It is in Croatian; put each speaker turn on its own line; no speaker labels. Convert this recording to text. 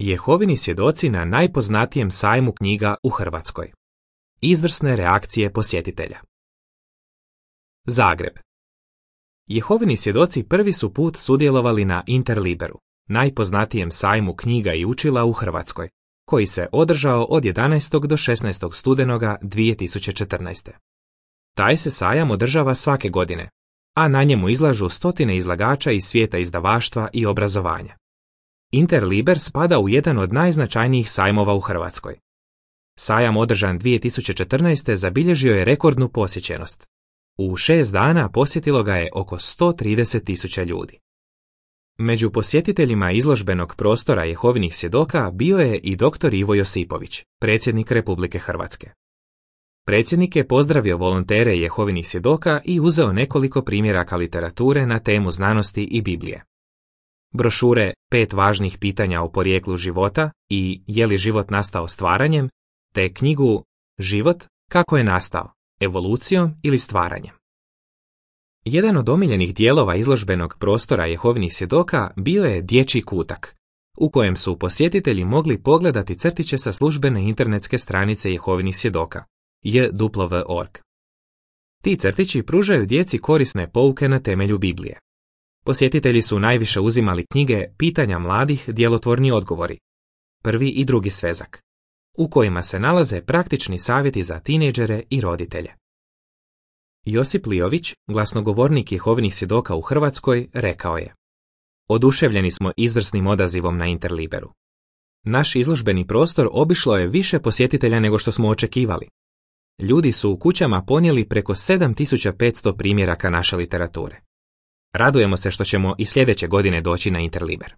Jehovini svjedoci na najpoznatijem sajmu knjiga u Hrvatskoj. Izvrsne reakcije posjetitelja. Zagreb. Jehovini svjedoci prvi su put sudjelovali na Interliberu, najpoznatijem sajmu knjiga i učila u Hrvatskoj, koji se održao od 11. do 16. studenoga 2014. Taj se sajam održava svake godine, a na njemu izlažu stotine izlagača iz svijeta izdavaštva i obrazovanja. Interliber spada u jedan od najznačajnijih sajmova u Hrvatskoj. Sajam održan 2014. zabilježio je rekordnu posjećenost. U 6 dana posjetilo ga je oko 130.000 ljudi. Među posjetiteljima izložbenog prostora Jehovinih svjedoka bio je i dr. Ivo Josipović, predsjednik Republike Hrvatske. Predsjednik je pozdravio volontere Jehovinih svjedoka i uzeo nekoliko primjeraka literature na temu znanosti i Biblije. Brošure 5 važnih pitanja o porijeklu života i Je li život nastao stvaranjem, te knjigu Život, kako je nastao, evolucijom ili stvaranjem. Jedan od omiljenih dijelova izložbenog prostora Jehovinih svjedoka bio je dječji kutak, u kojem su posjetitelji mogli pogledati crtiće sa službene internetske stranice Jehovinih svjedoka, jw.org. Ti crtići pružaju djeci korisne pouke na temelju Biblije. Posjetitelji su najviše uzimali knjige Pitanja mladih, djelotvorni odgovori, prvi i drugi svezak, u kojima se nalaze praktični savjeti za tinejdžere i roditelje. Josip Liović, glasnogovornik Jehovinih svjedoka u Hrvatskoj, rekao je: Oduševljeni smo izvrsnim odazivom na Interliberu. Naš izložbeni prostor obišlo je više posjetitelja nego što smo očekivali. Ljudi su u kućama ponijeli preko 7500 primjeraka naše literature. Radujemo se što ćemo i sljedeće godine doći na Interliber.